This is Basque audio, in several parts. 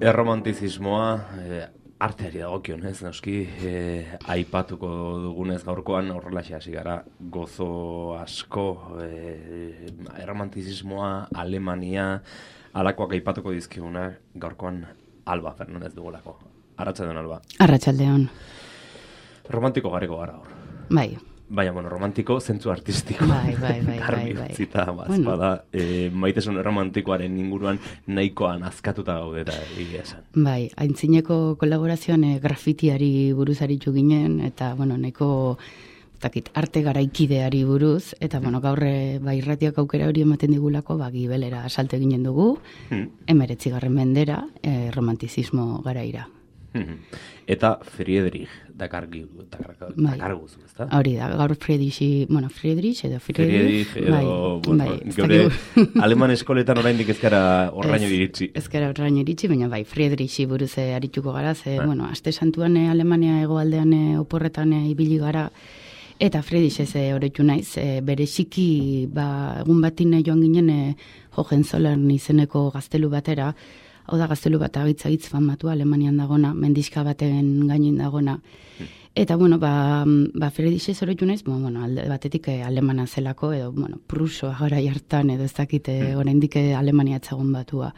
Erromantizismoa, arteari dagokionez, noski, aipatuko dugunez gaurkoan horrelaxe hasi gara gozo asko, erromantizismoa, Alemania, alakoak aipatuko dizkiguna gaurkoan Alba Fernandez dugulako. Arratsaldeon, Alba. Arratsaldeon. Romantiko gareko gara hor. Bai. Baina, romantiko zentzu artistiko. Bai. Zita, bazpada, maitasun romantikoaren inguruan nahikoan azkatuta gaude eta egia esan. Bai, aintzineko kolaborazioan grafitiari buruz aritu ginen, eta, nahiko arte garaikideari buruz, eta, gaur irratiak aukera hori ematen digulako, Gibelera salte ginen dugu, 19. mendera, romantizismo garaira. Eta Friedrich dakarguzu, ezta? Hori da, gaur Friedrich edo, geure aleman eskoletan oraindik ezkara horraino iritsi. Ezkara horraino iritsi, baina Friedrich buruz arituko gara, aste santuan Alemania hegoaldean oporretan ibili gara, eta Friedrich ez horretu naiz, bere xiki, egun batin joan ginen Hohenzollern izeneko gaztelu batera. Hau da, gaztelu bat agitz famatu Alemanian dagona, mendizka baten gainin dagona. Eta, Friedrich ez horretu naiz, alde batetik alemana zelako, edo, prusoa gara jartan, edo ez dakite oraindik Alemania etzagun batua.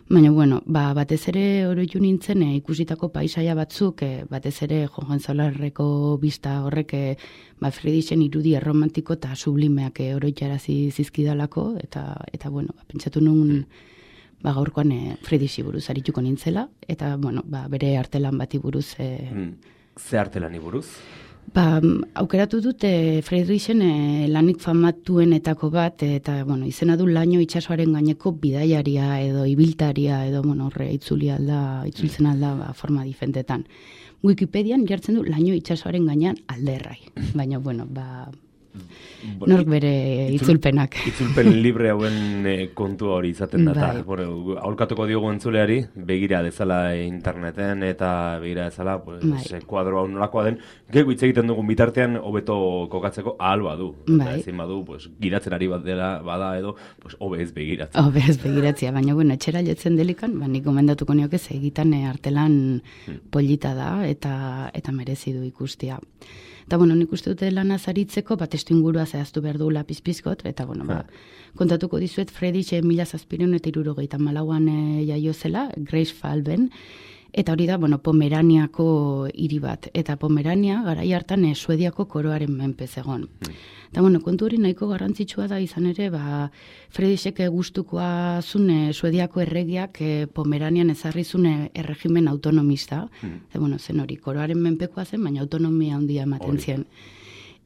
Baina, batez ere horretu nintzen ikusitako paisaia batzuk, batez ere Hohenzollerneko bista horrek Friedrichen irudi erromantiko eta sublimeak oroitarazi zizkidalako, eta pentsatu nun gaurkoan Friedrichi buruz arituko nintzela, eta, bere artelan bati buruz. Ze artelani buruz? Aukeratu dute Friedrichen lanik famatuenetako bat, eta, izena du Laino itsasoaren gaineko bidaiaria edo ibiltaria edo, horre itzultzen alda forma difentetan. Wikipedian jartzen du Laino itsasoaren gainean alderrai, baina, nork bere itzulpenak. Itzulpen libre hauen kontua hori izaten da. Aholkatuko diogu entzuleari, begira dezala interneten eta begira dezala kuadro hau nolakoa den, gehiago hitz egiten dugun bitartean hobeto kokatzeko ahal badu. Ezin badu, giratzen ari bat dela bada edo, hobe ez begiratzea. Hobe ez begiratzea, baina etxera jotzen delikan, nik gomendatuko nioke egitan artelan polita da eta merezi du ikustia. Eta, nik uste dute lan azaritzeko, testu ingurua zehaztu behar du lapizpizkot, eta, kontatuko dizuet, Friedrich 1774an jaio zela, Greifswalden, eta hori da, Pomeraniako hiri bat, eta Pomerania garai hartan Suediako koroaren menpe zegon. Eta, kontu hori nahiko garrantzitsua da izan ere, Friedrichek gustukoa zune Suediako erregiak Pomeranian ezarri zune erregimen autonomista, zen hori, koroaren menpekoa zen, baina autonomia handia ematen zien.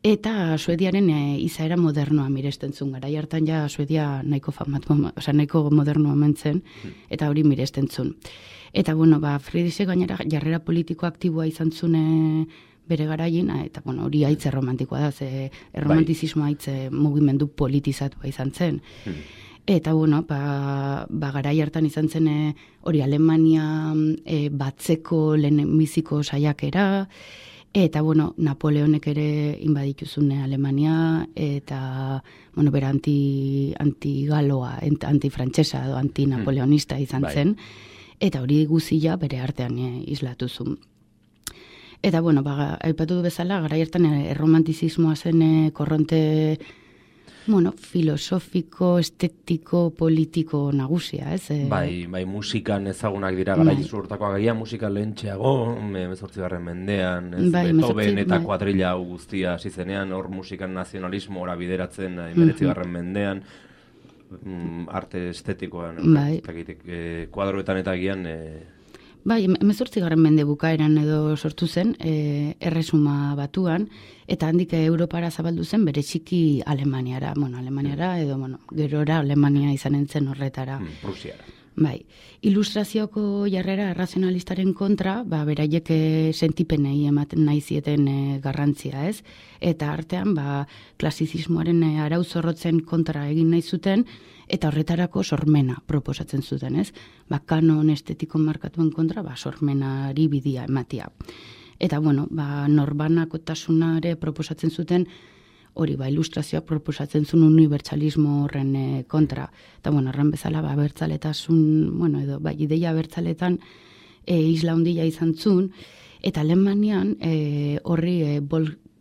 Eta Suediaren izaera modernoa miresten zuen, garai hartan ja Suedia nahiko nahiko modernoa mentzen, eta hori miresten zuen. Eta, Friedrichek gainera jarrera politiko aktiboa izan zuen bere garaien, eta, hori haitze romantikoa da, erromantizismoa haitze mugimendu politizatua izan zen. Eta, garai hartan izan zen hori Alemania batzeko lehenbiziko saiakera, eta, Napoleonek ere inbaditu zuen Alemania, eta, bera antigaloa, antifrantsesa edo antinapoleonista izan zen, eta hori guzia bere artean islatu zuen. Eta, aipatu du bezala, garai hartan erromantizismoa zen korronte, filosofiko, estetiko, politiko nagusia, ez? Bai, musikan ezagunak dira garai zurtakoa gaia, musika lehentxeago, 18. mendean, Beethoven eta kuadrilla guztia hasi zenean, hor musikan nazionalismo ora bideratzen 19. mendean, arte estetikoan, kuadroetan eta gian... Bai, 18. mende bukaeran edo sortu zen, Erresuma Batuan, eta handik Europara zabaldu zen bere txiki Alemaniara, edo, gerora Alemania izanen zen horretara. Prusiara. Bai, ilustrazioko jarrera razionalistaren kontra, beraiek sentipenei ematen nahi zieten garrantzia, ez? Eta artean, klasizismoaren arau zorrotzen kontra egin nahi zuten, eta horretarako sormena proposatzen zuten, ez? Kanon estetiko markatuen kontra, sormenari bidia ematia. Eta, norbanakotasunare proposatzen zuten hori ilustrazioak proposatzen zuen unibertsalismo horren kontra. Eta, horren bezala, abertzaletasun, edo, ideia abertzaletan isla handia izan zuen, eta Alemanian horri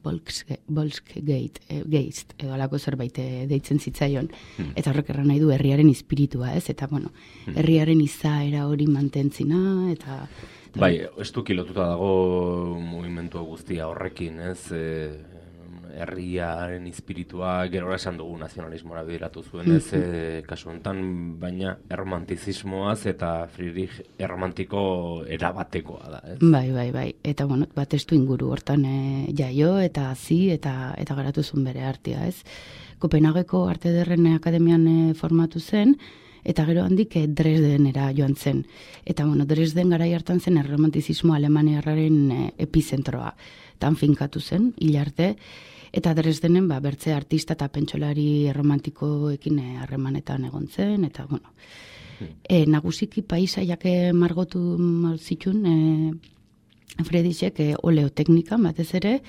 Volksgeist, edo alako zerbait deitzen zitzaion, eta horrek erran nahi du herriaren espiritua, ez? Eta, herriaren izaera hori mantentzina, eta... Bai, ez du kilotuta dago mugimendu guztia horrekin, ez? Herriaren espiritua, gero esan dugu nazionalismora bideratu zuen, ez? Kasu honetan, baina erromantizismoaz eta Friedrich erromantiko erabatekoa da, ez? Bai. Eta, testu inguru hortan jaio eta hazi eta garatu zuen bere artea, ez? Kopenhageko Arte Ederren Akademian formatu zen, eta gero handik Dresdenera joan zen. Eta, Dresden garai hartan zen erromantizismo alemaniarraren epizentroa. Tan finkatu zen, hil arte, eta Dresdenen bertze artista eta pentsolari erromantikoekin harremanetan egon zen, eta, nagusiki paisaiak margotu zituen Friedrichek oleoteknika batez ere,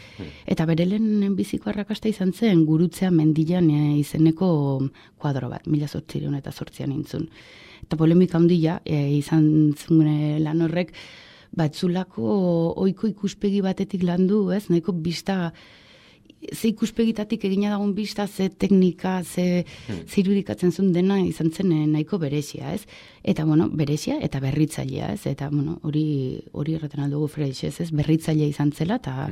eta bere lehen biziko arrakasta izan zen Gurutzean mendian izeneko kuadro bat, 1808an intzun. Eta polemika handia izan zuen lan horrek, batzulako ohiko ikuspegi batetik landu, ez? Nahiko bista, ze ikuspegitatik egina dagoen bista, ze teknika, ze irudikatzen zuen dena izan zen nahiko berezia, ez? Eta, berezia eta berritzailea, ez? Eta, hori erraten aldugu Friedrich, ez? Berritzailea izan zela, eta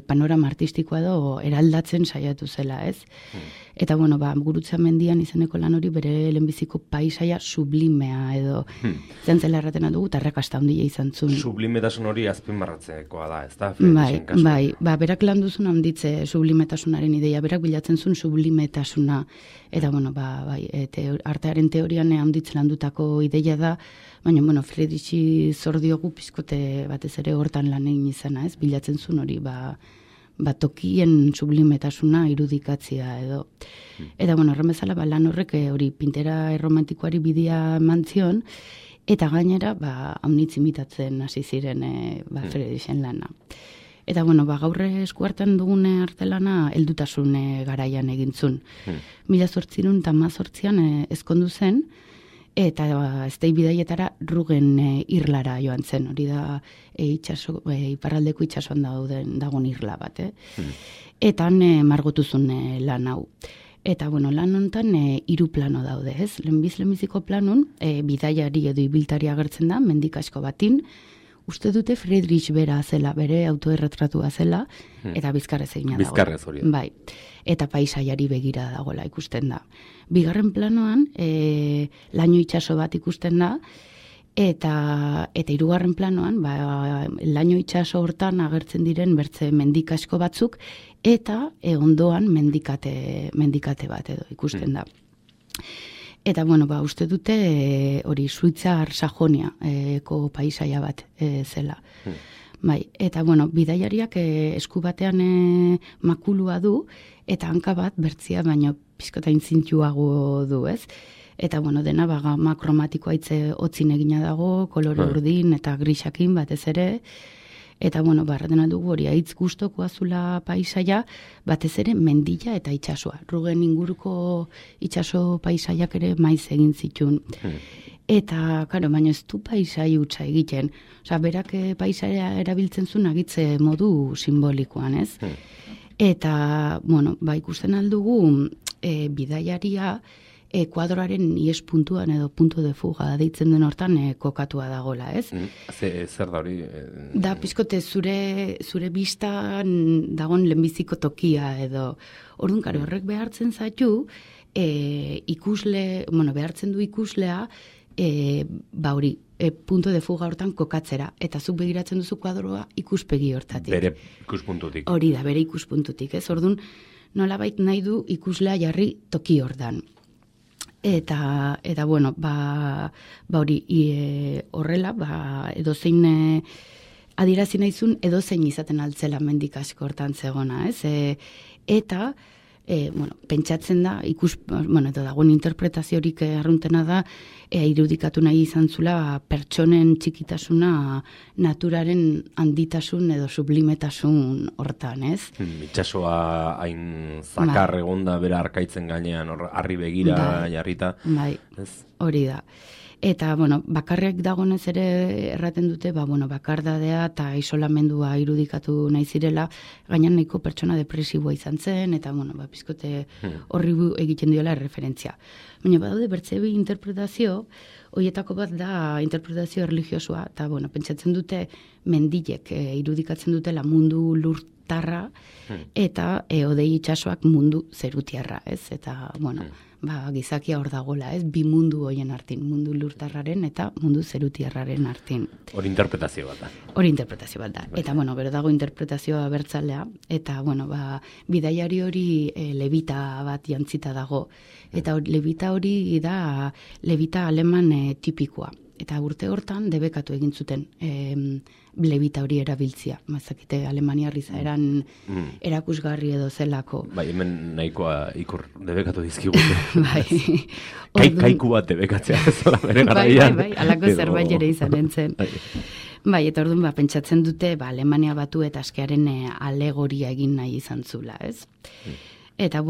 panorama artistikoa edo eraldatzen saiatu zela, ez? Eta, Gurutzean mendian izeneko lan hori bere lehenbiziko paisaia sublimea edo zantzela erraten aldugu, eta arrakasta handia izan zuen. Sublimetasun hori azpimarratzekoa da, ez da? Bai, berak lan duzun handitze sublimetasunaren ideia, berak bilatzen zuen sublimetasuna, eta, artearen teorian handitzen handutako ideia da, baina, Friedrichi zor diogu pizkote batez ere hortan lan egin izana, ez? Bilatzen zuen hori, tokien sublimetasuna irudikatzea edo. Eta, horren bezala, lan horrek hori pintera erromantikoari bidea mantzion, eta gainera, haunitz imitatzen hasi ziren Friedrichen lana. Eta, gaur eskuartan dugune artelana heldutasun garaian egintzun. 1818an ezkondu zen, eta eztei bidaietara Rugen irlara joan zen, hori da iparraldeko itsasoan dagoen irla bat, Eta margotu zuen lan hau. Eta, lan honetan 3 plano daude, ez? Lehenbiziko planun, bidaiari edo ibiltari agertzen da, mendik asko batin, uste dute Friedrich bera zela, bere autoerretratua zela, eta bizkarrez egina dago. Bizkarrez hori. Bai, eta paisaiari begira dagoela ikusten da. Bigarren planoan, laino itsaso bat ikusten da, eta 3. planoan, laino itsaso hortan agertzen diren bertze mendik asko batzuk, eta ondoan mendikate bat edo ikusten da. Eta, uste dute hori Suitzar Sajoniako paisaia bat zela. Bai, eta, bidaiariak esku batean makulua du, eta hanka bat bertzia, baina pizkotain zintxuago du, ez? Eta, dena gama kromatikoa hitze hotzin egina dago, kolore urdin eta grisakin batez ere, eta, barraten aldugu hori haitz gustokoa zula paisaia, batez ere mendila eta itsasoa. Rugen inguruko itsaso paisaiak ere maiz egin zituen. Eta, baina ez du paisai hutsa egiten. Osa, berak paisaia erabiltzen zuen agitze modu simbolikoan, ez? Eta, ikusten aldugu bidaiaria kuadroaren ies puntuan edo punto de fuga deitzen den hortan kokatua dagola, ez? Zer da hori? Da, pizkote zure bistan dagoen lehenbiziko tokia edo. Orduan, horrek behartzen zaitu, behartzen du ikuslea, hori, punto de fuga hortan kokatzera, eta zuk begiratzen duzu kuadroa ikuspegi hortatik. Bere ikuspuntutik. Hori da, bere ikuspuntutik, ez? Orduan, nolabait nahi du ikuslea jarri toki hortan. Eta hori, horrela, edozein adierazi nahizun, edozein izaten altzela mendik asko hortan zegona, ez? Eta pentsatzen da, eta dagoen interpretaziorik arruntena da, irudikatu nahi izan zula pertsonen txikitasuna naturaren handitasun edo sublimetasun hortan, ez? Itxasoa hain zakar egonda bera arkaitzen gainean, harri begira jarrita. Bai, hori da. Eta, bakarrik dagonez ere erraten dute, bakardadea eta isolamendua irudikatu nahi zirela, gainan nahiko pertsona depresiboa izan zen, eta, bizkote horri egiten diola referentzia. Baina, badaude bertze bi interpretazio, horietako bat da interpretazio religiosoa, eta, pentsatzen dute mendilek irudikatzen dutela mundu lurtarra, eta odei itxasoak mundu zerutiarra, ez? Eta, gizakia hor dagoela, ez? Bi mundu hoien artin, mundu lurtarraren eta mundu zerutiarraren artin. Hori interpretazio bat da. Hori interpretazio bat da. Eta, bero dago interpretazioa bertzalea, eta, bidaiari hori levita bat jantzita dago. Eta levita hori da levita aleman tipikoa. Eta urte hortan debekatu egin zuten levita hori erabiltzia. Mazakite Alemaniar izaeran erakusgarri edo zelako. Bai, hemen nahikoa ikur debekatu dizkigute. Bai. Kaiku bat debekatzea zola bere garaian. Bai, alako zerbait ere izan entzen. Bai, eta orduan pentsatzen dute Alemania batu eta askearen alegoria egin nahi izan zula, ez? Eta,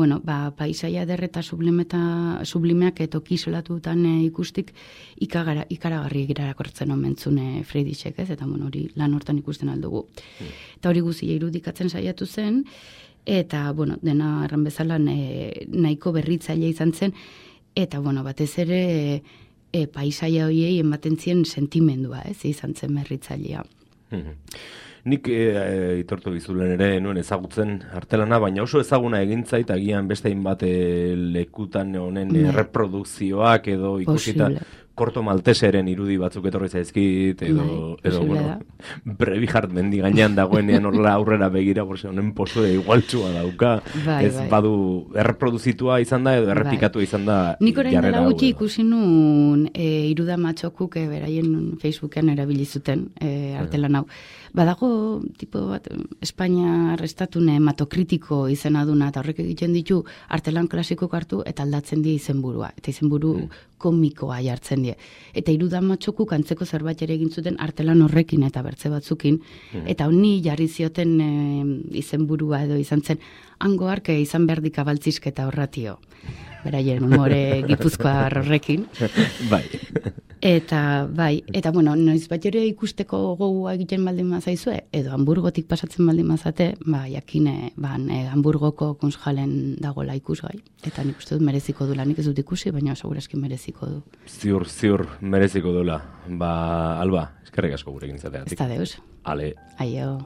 paisaia derreta sublimeak etoki isolatutan ikustik ikaragarri egirakortzen omentzune Friedrichek, ez? Eta, hori lan hortan ikusten aldugu. Eta hori guzia irudikatzen saiatu zen, eta, dena erran bezala nahiko berritzaile izan zen, eta, batez ere paisaia horiei ematen zien sentimendua, ez? Izan zen berritzailea. Nik itortu bizulen ere nuen ezagutzen artelana, baina oso ezaguna egintzait agian beste hainbat lekutan honen reprodukzioak edo ikusita Korto Malteseren irudi batzuk etorri zaizkit edo Brevihart mendi gainean dagoenean horrela aurrera begira, honen posue igualtxua dauka, ez badu erreproduzitua izan da edo errepikatu izan da. Nik orain dela gutxi ikusi nun Iruda Matxokuk beraien Facebooken erabili zuten artelan hau. Badago tipo bat Espainia restatune hematokritiko izena duna, eta horrek egiten ditu artelan klasikok hartu eta aldatzen die izenburua. Eta izenburu komikoa jartzen die. Eta Iruda Matxokuk antzeko zerbait ere egin zuten artelan horrekin eta bertze batzukin. Eta honi jarri zioten izenburua edo izan zen, hango arke izan berdik abaltzizketa horratio. Beraien humore gipuzkoar horrekin. Bai. Eta, noiz bat ere ikusteko gogoa egiten baldin mazaizue, edo Hamburgotik pasatzen baldin mazate, jakine, Hamburgoko Kunsthallen dagoela ikusgai. Eta nik uste dut mereziko dula, nik ez dut ikusi, baina segurazki mereziko du. Ziur, mereziko dula. Alba, eskerrik asko gurekin zateatik. Ez da deus. Ale. Aio.